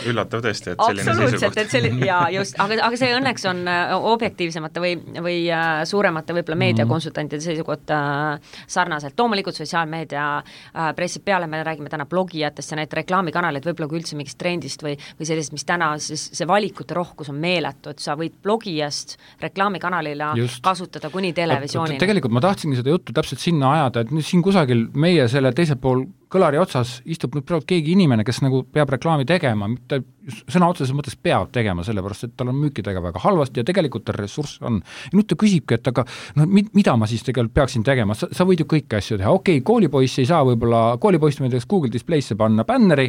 üllatav tõesti, et selline seisukoht. Aga see õnneks on objektiivsemate või suuremate võib-olla meediakonsultantide seisukoht sarnaselt. Loomulikult sotsiaalmeedia pressib peale, me räägime täna blogijatest ja need reklaamikanalid võib-olla kui üldse mingist trendist või sellisest, mis täna siis see valikute rohkus on meeletu, et sa võid blogijast reklaamikanalile kasutada kuni televisioonini. Tegelikult ma tahtsingi seda juttu täpselt sinna ajada, et siin kusagil meie selle teisel pool kõlari otsas istub nüüd praegu keegi inimene, kes nagu peab reklaami tegema, mitte sõna otseses mõttes peab tegema, sellepärast, et tal on müükidega väga halvasti ja tegelikult tal ressurss on. Ja nüüd ta küsibki, et aga mida ma siis tegelikult peaksin tegema, sa võid ju kõiki asju teha, okei, koolipoiss ei saa võib-olla, koolipoiss võidaks Google Display'sse panna bänneri,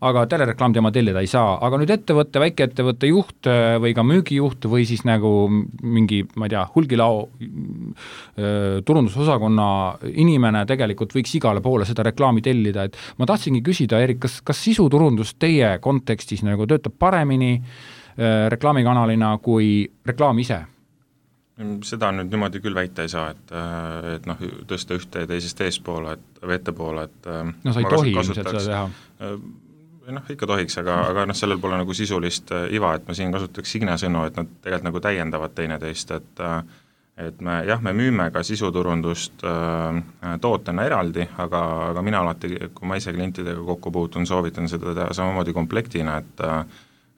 aga telereklaam tema tellida ei saa, aga nüüd ettevõtte, väikeettevõtte juht või ka müügijuht või siis nagu mingi, ma ei tea, hulgilao turundusosakonna inimene tegelikult võiks igale poole seda reklaami tellida, et ma tahtsingi küsida, Erik, kas sisuturundus teie kontekstis nagu töötab paremini reklaamikanalina kui reklaam ise? Seda nüüd niimoodi küll väita ei saa, et tõsta ühte ja teisest eespoole või ettepoole, et no sa ei tohi ilmselt seda teha. Ikka tohiks, aga sellel pole nagu sisulist iva, et ma siin kasutaks Signe sõnu, et nad tegelikult nagu täiendavad teineteist, et me müüme ka sisuturundust tootena eraldi, aga mina alati, kui ma ise klientidega kokku puutun, soovitan seda teha samamoodi komplektina,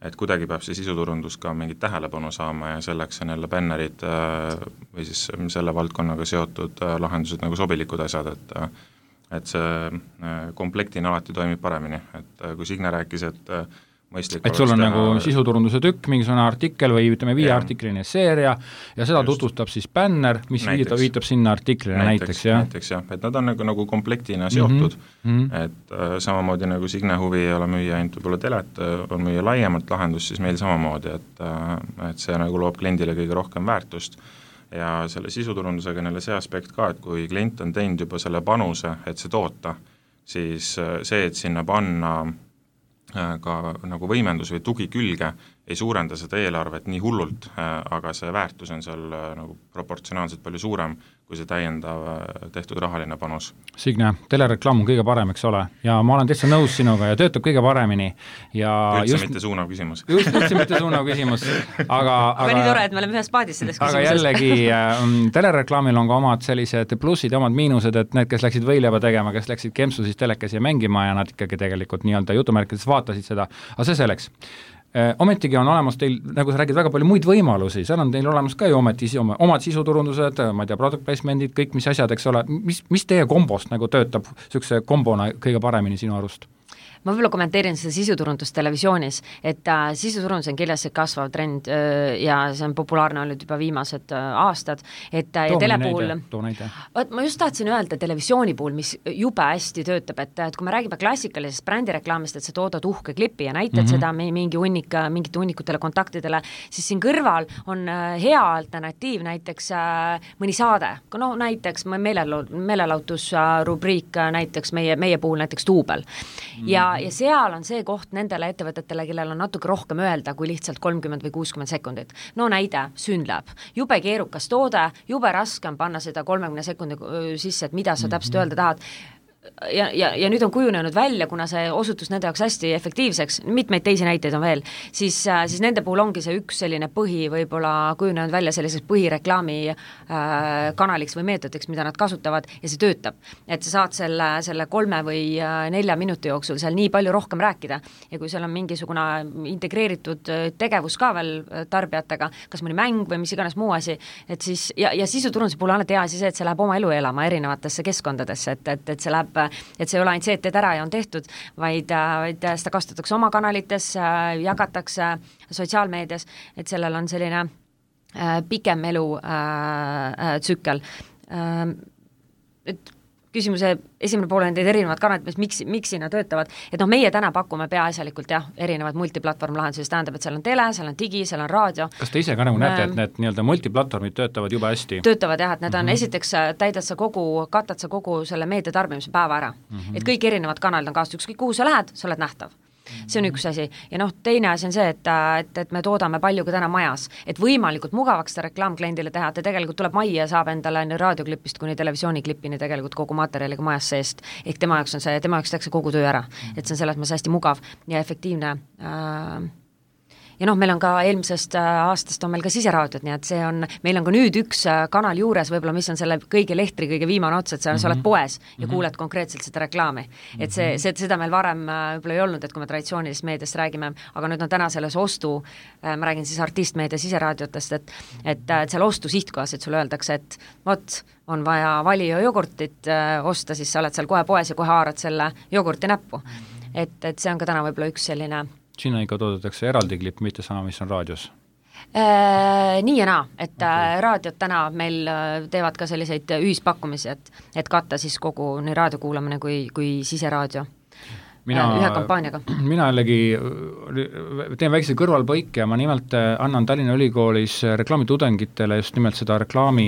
et kuidagi peab see sisuturundus ka mingit tähelepanu saama ja selleks on jälle bännerid või siis selle valdkonnaga seotud lahendused nagu sobilikud asjad, et see komplektina alati toimib paremini, et kui Signe rääkis, et mõistlik et sul on nagu sisuturunduse tükk, mingisugune artikkel või ütleme 5 artikline seeria ja seda tutvustab siis bänner, mis viitab sinna artiklile näiteks, et nad on nagu komplektina seotud, et samamoodi nagu Signe huvi ei ole müüa ainult võib-olla telet, on müüa laiemalt lahendust, siis meil samamoodi, et see nagu loob kliendile kõige rohkem väärtust ja selle sisuturundusega neile see aspekt ka, et kui klient on teinud juba selle panuse, et see toota, siis see, et sinna panna ka nagu võimendus või tugi külge ei suurenda seda eelarvet nii hullult, aga see väärtus on seal nagu proportsionaalselt palju suurem kui see täiendav tehtud rahaline panus. Signe, telereklaam on kõige parem, eks ole, ja ma olen täitsa nõus sinuga ja töötab kõige paremini. Ja üldse mitte suunav küsimus. Üldse mitte suunav küsimus, aga nii tore, et me oleme ühes paadis selles küsimuses. Aga jällegi, telereklaamil on ka omad sellised plussid ja omad miinused, et need, kes läksid võileiva tegema, kes läksid kempsu siis telekasi ja mängima ja nad ikkagi tegelikult nii-öelda jutumärkides vaatasid seda, aga see selleks. Ometigi on olemas teil, nagu sa räägid, väga palju muid võimalusi, seal on teil olemas ka ju omad sisuturundused, ma ei tea, product placement'id, kõik mis asjad, eks ole, mis teie kombost nagu töötab niisuguse kombona kõige paremini sinu arust? ma võib-olla kommenteerin seda sisuturundust televisioonis, et sisuturundus on kindlasti kasvav trend ja see on populaarne olnud juba viimased aastad, et ja tele puhul, ma just tahtsin öelda televisiooni puhul, mis jube hästi töötab, et kui me räägime klassikalisest brändireklaamist, et sa toodad uhke klipi ja näitad seda mingite hunnikutele kontaktidele, siis siin kõrval on hea alternatiiv näiteks mõni saade, näiteks meelelahutusrubriik näiteks meie puhul näiteks Duubel. Ja seal on see koht nendele ettevõtetele, kellel on natuke rohkem öelda kui lihtsalt 30 või 60 sekundit. No näide, Synlab. Jube keerukas toode, jube raske on panna seda 30 sekundi sisse, et mida sa täpselt öelda tahad. Ja nüüd on kujunenud välja, kuna see osutus nende jaoks hästi efektiivseks, mitmeid teisi näiteid on veel, siis nende puhul ongi see üks selline võib-olla kujunenud välja selliseks põhireklaami kanaliks või meetodiks, mida nad kasutavad ja see töötab. Et sa saad selle 3 või 4 minuti jooksul seal nii palju rohkem rääkida ja kui seal on mingisugune integreeritud tegevus ka veel tarbijatega, kas mõni mäng või mis iganes muu asi, et siis, ja sisuturunduse puhul on hea asi see, et see läheb oma elu elama erinevatesse keskkondadesse, et see läheb et see ei ole ainult see, et teed ära ja on tehtud, vaid seda kasutatakse oma kanalites, jagatakse sotsiaalmeedias, et sellel on selline pikem elu tsükkel. Et küsimuse esimene pool on teid erinevad kanalid, miks sinna töötavad, et meie täna pakume peaasjalikult erinevad multiplatvorm-lahendusi, see tähendab, et seal on tele, seal on digi, seal on raadio. Kas te ise ka nagu näete, et need nii-öelda multiplatvormid töötavad juba hästi? Töötavad et need on esiteks katad sa kogu selle meediatarbimise päeva ära. Et kõik erinevad kanalid on kaastud, ükskõik kuhu sa lähed, sa oled nähtav. See on üks asi. Ja teine asi on see, et me toodame palju ka täna majas, et võimalikult mugavaks seda reklaamkliendile teha, et tegelikult tuleb majja ja saab endale raadioklipist kuni televisiooniklipini tegelikult kogu materjaliga majas seest, ehk tema jaoks tehakse kogu töö ära, et see on selles mõttes hästi mugav ja efektiivne ja meil on ka eelmisest aastast on meil ka siseraadiot, nii et meil on ka nüüd üks kanal juures, võib-olla mis on selle kõige lehtri, kõige viimane ots, et sa oled poes ja kuuled konkreetselt seda reklaami. Et seda meil varem võib-olla ei olnud, et kui me traditsioonilist meediast räägime, aga nüüd on täna selles ostu, ma räägin siis artistmeedia siseraadiotest, et seal ostu sihtkohas, et sulle öeldakse, et on vaja valio jogurtit osta, siis sa oled seal kohe poes ja kohe haarad selle jogurti näppu. Et see on ka täna võib-olla üks selline Sinna ikka toodetakse eraldi klipp, mitte sama, mis on raadios? Nii ja naa, et raadiot täna meil teevad ka selliseid ühispakkumisi, et katta siis kogu nii raadiokuulamine kui siseraadio ühe kampaaniaga. Mina jällegi teen väikse kõrvalpõike ja ma nimelt annan Tallinna Ülikoolis reklaamitudengitele just nimelt seda reklaami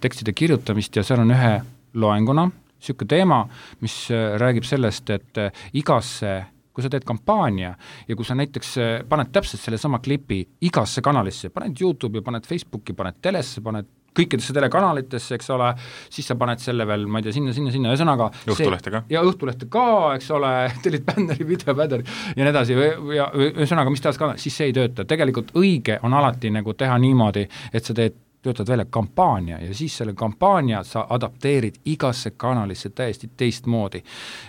tekstide kirjutamist ja seal on ühe loenguna niisugune teema, mis räägib sellest, et igasse kui sa teed kampaania ja kui sa näiteks paned täpselt selle sama klipi igasse kanalisse, paned YouTube'i, paned Facebooki, paned telesse, paned kõikidesse telekanalitesse, eks ole, siis sa paned selle veel, ma ei tea, sinna, ühesõnaga Õhtulehte ka. Ja Õhtulehte ka, eks ole, tellid bänneri, videobänneri ja nii edasi, ja ühesõnaga, mis tahas ka, siis see ei tööta. Tegelikult õige on alati nagu teha niimoodi, et sa töötad välja kampaania ja siis selle kampaania sa adapteerid igasse kanalisse täiesti teistmoodi.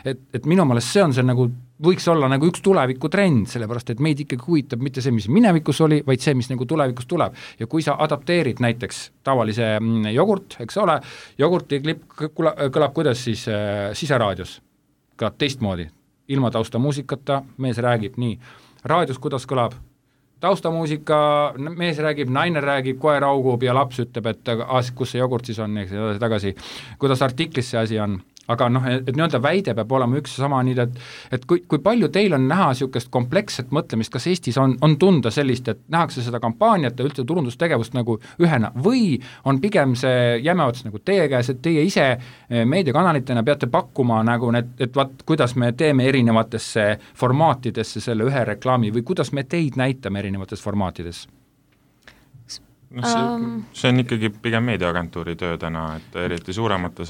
Et minu meelest see on see nagu võiks olla nagu üks tulevikutrend, sellepärast et meid ikkagi huvitab mitte see, mis minevikus oli, vaid see, mis nagu tulevikus tuleb. Ja kui sa adapteerid näiteks tavalise jogurt, eks ole, jogurti klipp kõlab kuidas siis siseraadios, kõlab teistmoodi, ilma taustamuusikata, mees räägib nii, raadios kuidas kõlab, taustamuusika, mees räägib, naine räägib, koer augub ja laps ütleb, et kus see jogurt siis on, eks tagasi, kuidas artiklis see asi on. Aga et nii-öelda väide peab olema üks sama nii, et kui palju teil on näha niisugust kompleksset mõtlemist, kas Eestis on tunda sellist, et nähakse seda kampaaniat ja üldse turundustegevust nagu ühena või on pigem see jämeots nagu teie käes, et teie ise meediakanalitena peate pakkuma nagu et kuidas me teeme erinevatesse formaatidesse selle ühe reklaami või kuidas me teid näitame erinevates formaatides? See on ikkagi pigem meediaagentuuri töö täna, et eriti suuremate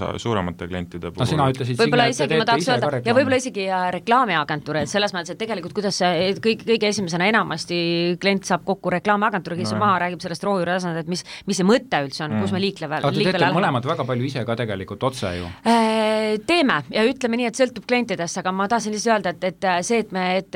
klientide puhul. Sina ütlesid võib-olla isegi ma tahaks öelda, ja võib-olla isegi reklaamiagentuur, et selles mõttes, et tegelikult kuidas kõige esimesena enamasti klient saab kokku reklaamiagentuuri, kes maha räägib sellest rohujuuretasandil, et mis see mõte üldse on, kus me liikleme. Aga te teete mõlemad väga palju ise ka tegelikult otse ju? Teeme ja ütleme nii, et sõltub klientidest, aga ma tahtsin lihtsalt öelda, et see,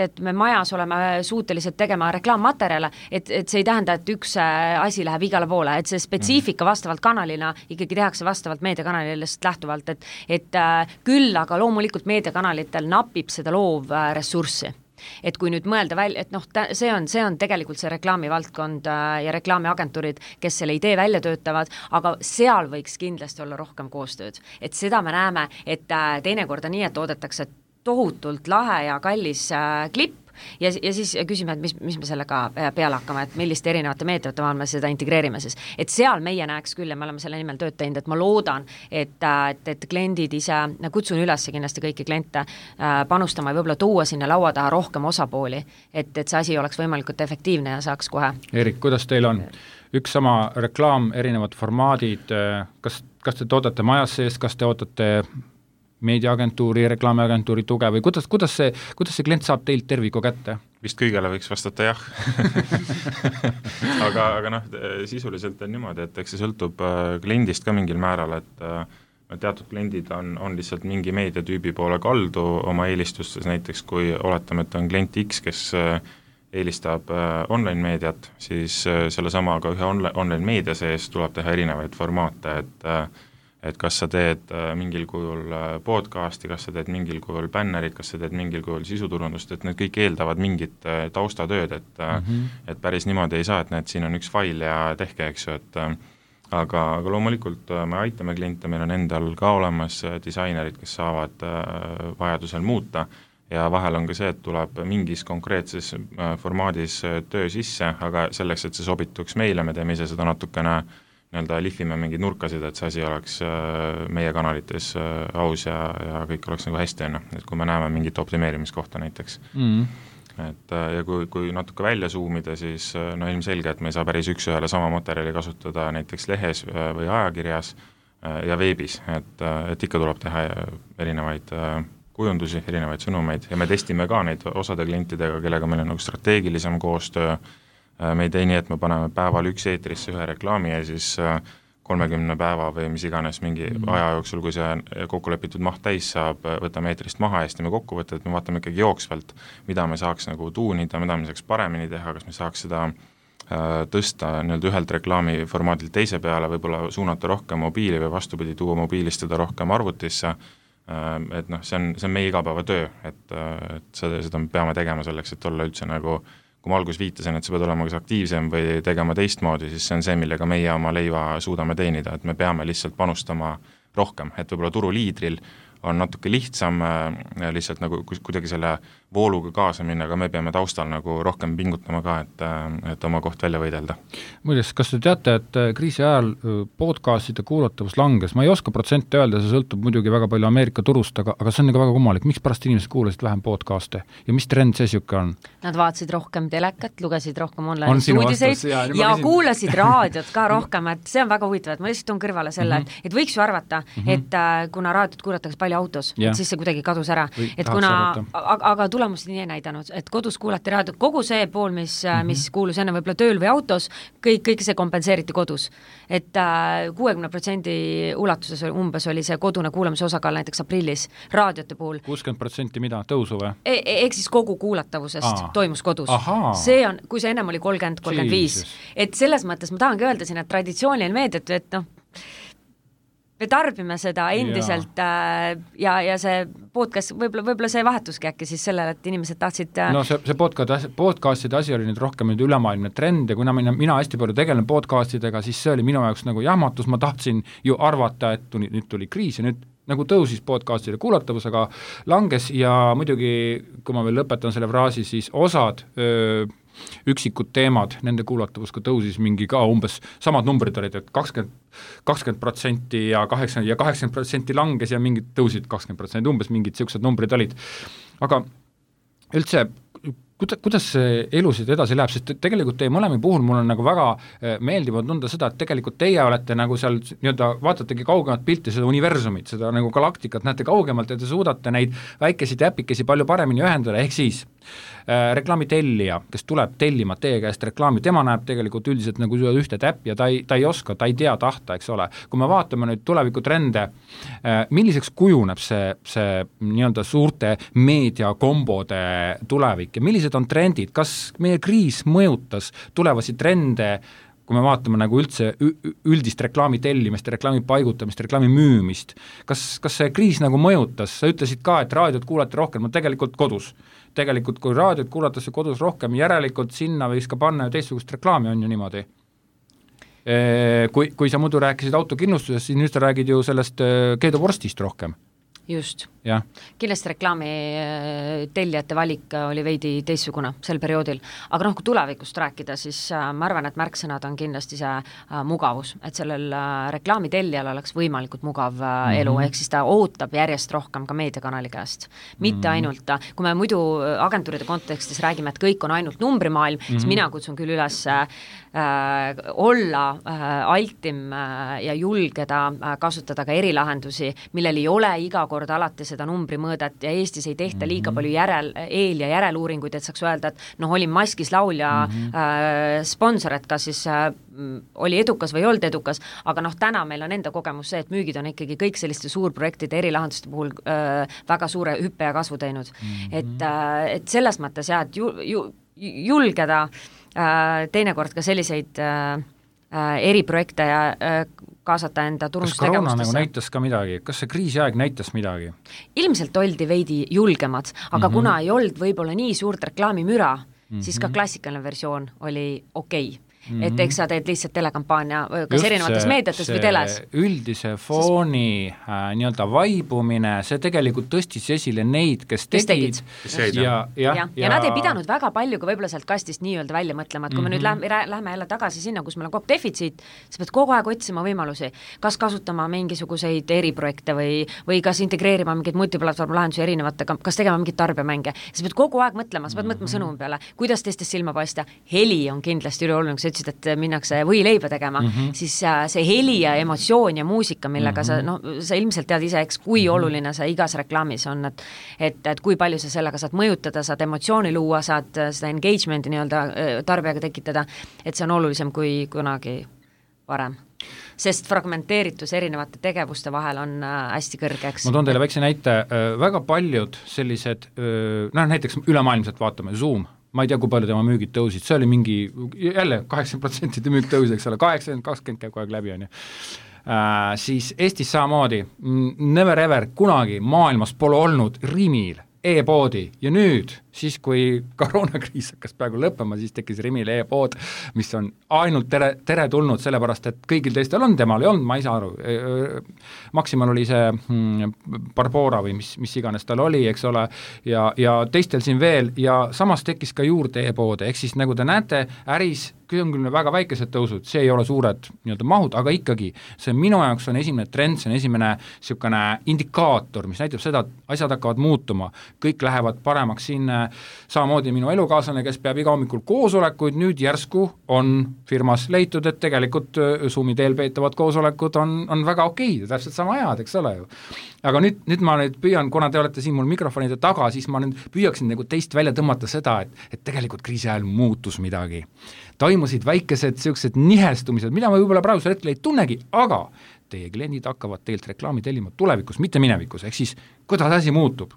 et me majas oleme suutelised tegema reklaammaterjale, et see ei tähenda, et üks asi läheb läheb igale poole, et see spetsiifika vastavalt kanalina ikkagi tehakse vastavalt meediakanalilest lähtuvalt, et küll, aga loomulikult meediakanalitel napib seda loovressurssi. Et kui nüüd mõelda välja, et see on tegelikult see reklaamivaldkond ja reklaamiagentuurid, kes selle idee välja töötavad, aga seal võiks kindlasti olla rohkem koostööd. Et seda me näeme, et teinekord on nii, et toodetakse tohutult lahe ja kallis klipp, ja siis küsime, et mis me sellega peale hakkame, et milliste erinevate meetodite vahel me seda integreerime siis. Et seal meie näeks küll ja me oleme selle nimel tööd teinud, et ma loodan, et kliendid ise, kutsun üles kindlasti kõiki kliente panustama ja võib-olla tuua sinna laua taha rohkem osapooli, et see asi oleks võimalikult efektiivne ja saaks kohe. Erik, kuidas teil on? Üks sama reklaam, erinevad formaadid, kas te toodate majas sees, kas te ootate meediaagentuuri, reklaamiagentuuri tuge või kuidas see klient saab teilt terviku kätte? Vist kõigele võiks vastata jah. aga sisuliselt on niimoodi, et eks see sõltub kliendist ka mingil määral, et teatud kliendid on lihtsalt mingi meediatüübi poole kaldu oma eelistustes, näiteks kui oletame, et on klient X, kes eelistab online meediat, siis selle samaga ühe online meedia sees tuleb teha erinevaid formaate, et kas sa teed mingil kujul podcasti, kas sa teed mingil kujul bännerit, kas sa teed mingil kujul sisuturundust, et need kõik eeldavad mingit taustatööd, et päris niimoodi ei saa, et näed, siin on üks fail ja tehke, eks ju, aga loomulikult me aitame kliente, meil on endal ka olemas disainerid, kes saavad vajadusel muuta ja vahel on ka see, et tuleb mingis konkreetses formaadis töö sisse, aga selleks, et see sobituks meile, me teeme ise seda natukene lihvime mingeid nurkasid, et see asi oleks meie kanalites aus ja kõik oleks nagu hästi, et kui me näeme mingit optimeerimiskohta näiteks. Et, ja kui natuke välja zoomida, siis ilmselge, et me ei saa päris üks-ühele sama materjali kasutada näiteks lehes või ajakirjas ja veebis, et ikka tuleb teha erinevaid kujundusi, erinevaid sõnumeid ja me testime ka neid osade klientidega, kellega meil on nagu strateegilisem koostöö. Me ei tee nii, et me paneme päeval üks eetrisse ühe reklaami ja siis 30 päeva või mis iganes mingi aja jooksul, kui see kokkulepitud maht täis saab, võtame eetrist maha ja me kokkuvõtte, et me vaatame ikkagi jooksvalt, mida me saaks nagu tuunida, mida me saaks paremini teha, kas me saaks seda tõsta ühelt reklaamiformaadilt teise peale, võib-olla suunata rohkem mobiili või vastupidi, tuua mobiilist seda rohkem arvutisse, et see on meie igapäevatöö, et seda me peame tegema selleks, et olla üldse nagu kui ma alguses viitasin, et sa pead olema kas aktiivsem või tegema teistmoodi, siis see on see, millega meie oma leiva suudame teenida, et me peame lihtsalt panustama rohkem, et võib-olla turuliidril on natuke lihtsam lihtsalt nagu kuidagi selle vooluga kaasa minna, aga me peame taustal nagu rohkem pingutama ka, et oma koht välja võidelda. Muides, kas te teate, et kriisi ajal podcastide kuulatavus langes? Ma ei oska protsente öelda, see sõltub muidugi väga palju Ameerika turust, aga see on nagu väga kummalik. Miks pärast inimesed kuulasid vähem podcaste ja mis trend see siuke on? Nad vaatasid rohkem telekat, lugesid rohkem online uudiseid ja kuulasid raadiot ka rohkem, et see on väga huvitav, et ma lihtsalt toon kõrvale selle, et võiks ju arvata, et kuna raadiot kuulatakse palju autos, et siis see kuidagi kadus ära. Et aga tulemused nii ei näidanud, et kodus kuulati raadiot, kogu see pool, mis kuulus enne võib-olla tööl või autos, kõik see kompenseeriti kodus. Et 60% ulatuses umbes oli see kodune kuulamise osakaal näiteks aprillis raadiote puhul. 60% mida? Tõusu või? Ehk siis kogu kuulatavusest toimus kodus. See on, kui see ennem oli 30-35. Et selles mõttes ma tahangi öelda siin, et traditsiooniline meediat, et me tarbime seda endiselt ja see podcast, võib-olla see vahetuski äkki siis sellele, et inimesed tahtsid see podcastide asi oli nüüd rohkem nüüd ülemaailmne trend ja kuna mina hästi palju tegelen podcastidega, siis see oli minu jaoks nagu jahmatus, ma tahtsin ju arvata, et nüüd tuli kriis ja nüüd nagu tõusis podcastide kuulatavus, aga langes ja muidugi, kui ma veel lõpetan selle fraasi, siis osad üksikud teemad, nende kuulatavus ka tõusis mingi ka umbes samad numbrid olid, et 20% ja 80% langes ja mingid tõusid 20%, umbes mingid siuksed numbrid olid. Aga üldse, kuidas see elusid edasi läheb, sest tegelikult teie mõlemi puhul mul on nagu väga meeldiv tunda seda, et tegelikult teie olete nagu seal vaatategi kaugemat pilti, seda universumit, seda nagu galaktikat näete kaugemalt ja te suudate neid väikesi täpikesi palju paremini ühendada, ehk siis reklaamitellija, kes tuleb tellima teie käest reklaami, tema näeb tegelikult üldiselt nagu ühte täppi ja ta ei oska, ta ei tea tahta, eks ole. Kui me vaatame nüüd tulevikutrende, milliseks kujuneb see nii-öelda suurte meediakombode tulevik ja millised on trendid, kas meie kriis mõjutas tulevasi trende kui me vaatame nagu üldse üldist reklaami tellimist, reklaami paigutamist, reklaami müümist, kas see kriis nagu mõjutas, sa ütlesid ka, et raadiot kuulati rohkem, no tegelikult kodus. Tegelikult kui raadiot kuulatakse kodus rohkem, järelikult sinna võiks ka panna teistsugust reklaami, on ju niimoodi. Kui sa muidu rääkisid autokindlustusest, siis nüüd sa räägid ju sellest keeduvorstist rohkem. Just. Ja. Kindlasti reklaami tellijate valik oli veidi teistsugune sel perioodil, aga kui tulevikust rääkida, siis ma arvan, et märksõnad on kindlasti see mugavus, et sellel reklaami tellijal oleks võimalikult mugav elu, ehk siis ta ootab järjest rohkem ka meediakanali käest. Mitte ainult, kui me muidu agentuuride kontekstis räägime, et kõik on ainult numbrimaailm, siis mina kutsun küll üles olla altim ja julgeda kasutada ka erilahendusi, millel ei ole iga kord alati seda numbrimõõdet ja Eestis ei tehta liiga palju eel- ja järeluuringuid, et saaks öelda, et olin maskis laulja sponsor, et kas siis oli edukas või ei olnud edukas, aga täna meil on enda kogemus see, et müügid on ikkagi kõik selliste suurprojektide erilahenduste puhul väga suure hüppe ja kasvu teinud. Et selles mõttes jah, et julgeda teinekord ka selliseid eriprojekte ja kaasata enda turundustegevustesse. Kas koroona nagu näitas ka midagi? Kas see kriisiaeg näitas midagi? Ilmselt oldi veidi julgemad, aga kuna ei olnud võib-olla nii suurt reklaamimüra, siis ka klassikaline versioon oli okei. Et eks sa teed lihtsalt telekampaania kas erinevates meediates või teles. Üldise fooni nii-öelda vaibumine, see tegelikult tõstis esile neid, kes tegid. Ja nad ei pidanud väga palju ka võib-olla sealt kastist nii-öelda välja mõtlema, et kui me nüüd lähme jälle tagasi sinna, kus meil on kogu defitsiit, sa pead kogu aeg otsima võimalusi, kas kasutama mingisuguseid eriprojekte või kas integreerima mingeid multiplatvormlahendusi erinevate, kas tegema mingeid tarbijamänge. Sa pead kogu aeg mõtlema, sa pead mõtlema sõnumi peale, kuidas teistest silma paista. Heli on kindlasti üleoluline, et minnakse võileiba tegema, siis see heli ja emotsioon ja muusika, millega sa ilmselt tead ise, eks, kui oluline see igas reklaamis on, et kui palju sa sellega saad mõjutada, saad emotsiooni luua, saad seda engagement'i nii-öelda tarbijaga tekitada, et see on olulisem kui kunagi varem. Sest fragmenteeritus erinevate tegevuste vahel on hästi kõrgeks. Ma toon teile väikse näite, väga paljud sellised, näiteks ülemaailmselt vaatame, Zoom, ma ei tea, kui palju tema müügid tõusid, see oli mingi, jälle 80% müük tõusid, eks ole, 80-20 käib kogu aeg läbi, on ju. Siis Eestis samamoodi, never ever, kunagi maailmas pole olnud Rimil e-poodi ja nüüd, siis kui koroonakriis hakkas praegu lõppema, siis tekkis Rimil e-pood, mis on ainult tere tulnud, sellepärast, et kõigil teistel on, temal ei olnud, ma ei saa aru. Maximal oli see Barbora või mis iganes tal oli, eks ole, ja teistel siin veel, ja samas tekkis ka juurde e-poode, ehk siis nagu te näete, äris on küll väga väikesed tõusud, see ei ole suured nii-öelda mahud, aga ikkagi see minu jaoks on esimene trend, see on esimene niisugune indikaator, mis näitab seda, et asjad hakkavad muutuma, kõik lähevad paremaks siin, samamoodi minu elukaaslane, kes peab iga hommikul koosolekuid, nüüd järsku on firmas leitud, et tegelikult Zoomi teel peetavad koosolekud on väga okei, täpselt sama head, eks ole ju. Aga nüüd ma püüan, kuna te olete siin mul mikrofonide taga, siis ma nüüd püüaksin nagu teist välja tõmmata seda, et tegelikult kriisi ajal muutus midagi. Toimusid väikesed sellised nihestumised, mida ma võib-olla praegusel hetkel ei tunnegi, aga teie kliendid hakkavad teilt reklaami tellima tulevikus, mitte minevikus, ehk siis kuidas asi muutub?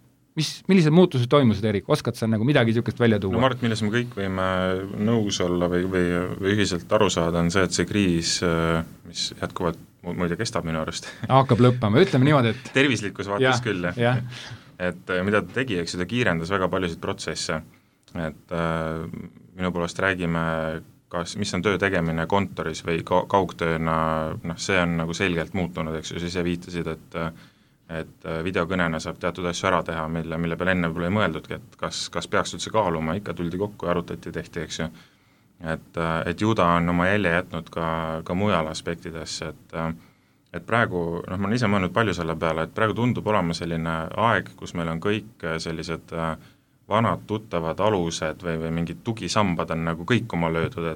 Millised muutused toimusid, Erik? Oskad sa nagu midagi niisugust välja tuua? No ma arvan, milles me kõik võime nõus olla või ühiselt aru saada, on see, et see kriis, mis jätkuvalt muide kestab minu arust. Hakkab lõppama, ütleme niimoodi, et tervislikus vaates küll, jah. Et mida ta tegi, eks ta kiirendas väga paljusid protsesse, et minu poolest räägime, mis on töö tegemine kontoris või kaugtööna, see on nagu selgelt muutunud, eks ju, siis viitasid, et videokõnena saab teatud asju ära teha, mille peale enne pole mõeldudki, et kas peaks üldse kaaluma, ikka tuldi kokku ja arutati, tehti, eks ju. Et ju ta on oma jälje jätnud ka mujal aspektidesse, et praegu, ma olen ise mõelnud palju selle peale, et praegu tundub olema selline aeg, kus meil on kõik sellised vanad tuttavad alused või mingid tugisambad on nagu kõik oma löödud,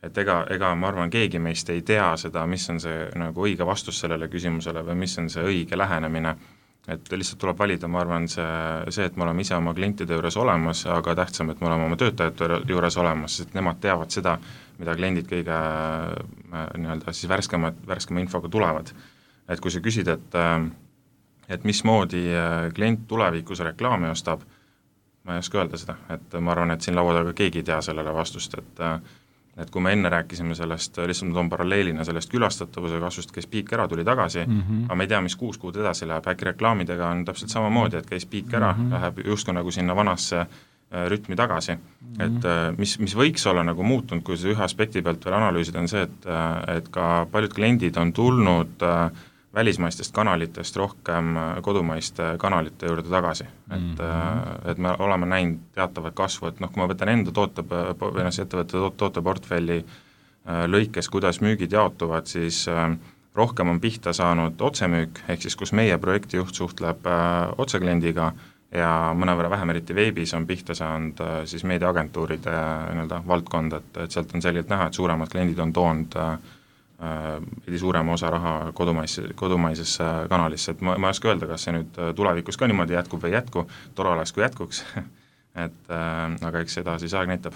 et ega ma arvan, keegi meist ei tea seda, mis on see nagu õige vastus sellele küsimusele või mis on see õige lähenemine, et lihtsalt tuleb valida, ma arvan, see, et me oleme ise oma klientide juures olemas, aga tähtsam, et me oleme oma töötajate juures olemas, sest nemad teavad seda, mida kliendid kõige nii-öelda siis värskema infoga tulevad. Et kui sa küsid, et mismoodi klient tulevikus reklaami ostab, ma ei oska öelda seda, et ma arvan, et siin laua taga keegi ei tea sellele vastust, et kui me enne rääkisime sellest, lihtsalt ma toon paralleelina sellest külastatavuse kasvust, käis piik ära, tuli tagasi, aga me ei tea, mis 6 kuud edasi läheb, äkki reklaamidega on täpselt samamoodi, et käis piik ära, läheb justkui nagu sinna vanasse rütmi tagasi. Et mis võiks olla nagu muutunud, kui see ühe aspekti pealt veel analüüsida, on see, et ka paljud kliendid on tulnud välismaistest kanalitest rohkem kodumaiste kanalite juurde tagasi. Et me oleme näinud teatavat kasvu, et kui ma võtan enda ettevõtte tooteportfelli lõikes, kuidas müügid jaotuvad, siis rohkem on pihta saanud otsemüük, ehk siis kus meie projektijuht suhtleb otsekliendiga ja mõnevõrra vähem eriti veebis on pihta saanud siis meediaagentuuride valdkond, et sealt on selgelt näha, et suuremad kliendid on toonud suurema osa raha kodumaisesse kanalisse, et ma ei oska öelda, kas see nüüd tulevikus ka niimoodi jätkub või ei jätku, tore oleks, kui jätkuks, aga eks seda siis aeg näitab.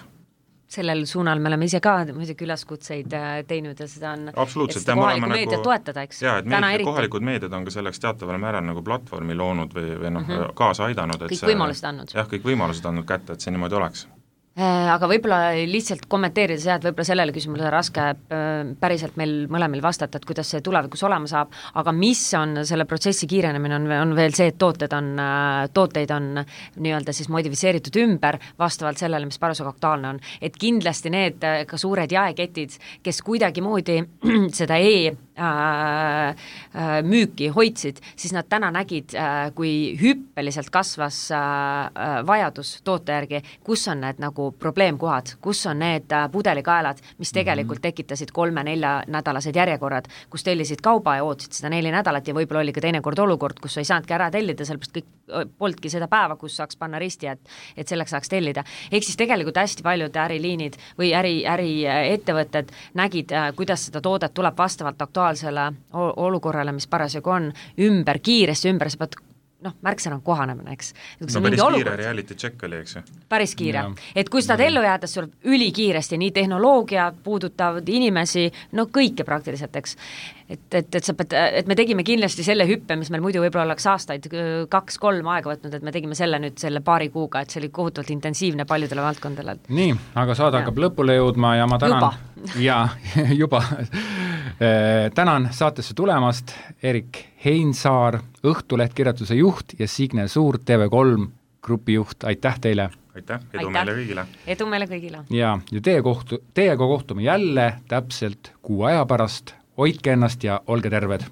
Sellel suunal me oleme ise ka muidugi ülaskutseid teinud ja seda on, et seda kohalikku meediat toetada, eks? Jaa, et kohalikud meediad on ka selleks teataval määral nagu platvormi loonud või kaasa aidanud. Kõik võimalused andnud. Jah, kõik võimalused andnud kätte, et see niimoodi oleks. Aga võib-olla lihtsalt kommenteerida seda, et võib-olla sellele küsimusele raske päriselt meil mõlemil vastata, et kuidas see tulevikus olema saab, aga mis on selle protsessi kiirenemine, on veel see, et tooteid on nii-öelda siis modifiseeritud ümber vastavalt sellele, mis parasjagu aktuaalne on. Et kindlasti need ka suured jaeketid, kes kuidagimoodi seda müüki hoidsid, siis nad täna nägid, kui hüppeliselt kasvas vajadus toote järgi, kus on need nagu probleemkohad, kus on need pudelikaelad, mis tegelikult tekitasid 3-4 nädalased järjekorrad, kus tellisid kauba ja ootasid seda 4 nädalat ja võib-olla oli ka teinekord olukord, kus sa ei saanudki ära tellida, sellepärast kõik polnudki seda päeva, kus saaks panna risti, et selleks saaks tellida. Ehk siis tegelikult hästi paljud äriliinid või äriettevõtted nägid, kuidas seda toodet tuleb vastavalt aktuaalsele olukorrale, mis parasjagu on, kiiresti ümber, sa pead märksõna on kohanemine, eks. Päris kiire reality check oli, eks ju? Päris kiire. Et kui seda ellu jäädes sul ülikiiresti, nii tehnoloogia puudutavad inimesi, kõike praktiliselt, eks. Et me tegime kindlasti selle hüppe, mis meil muidu võib-olla oleks aastaid 2-3 aega võtnud, et me tegime selle nüüd selle paari kuuga, et see oli kohutavalt intensiivne paljudele valdkondadele. Nii, aga saade hakkab lõpule jõudma ja ma tänan juba tänan saatesse tulemast Erik Heinsaar, Õhtuleht kirjatuse juht ja Signe Suur, TV3 grupi juht, aitäh teile! Aitäh, edu meile kõigile! Edu meile kõigile! Ja teiega kohtume jälle täpselt 6 aja pärast, hoidke ennast ja olge terved!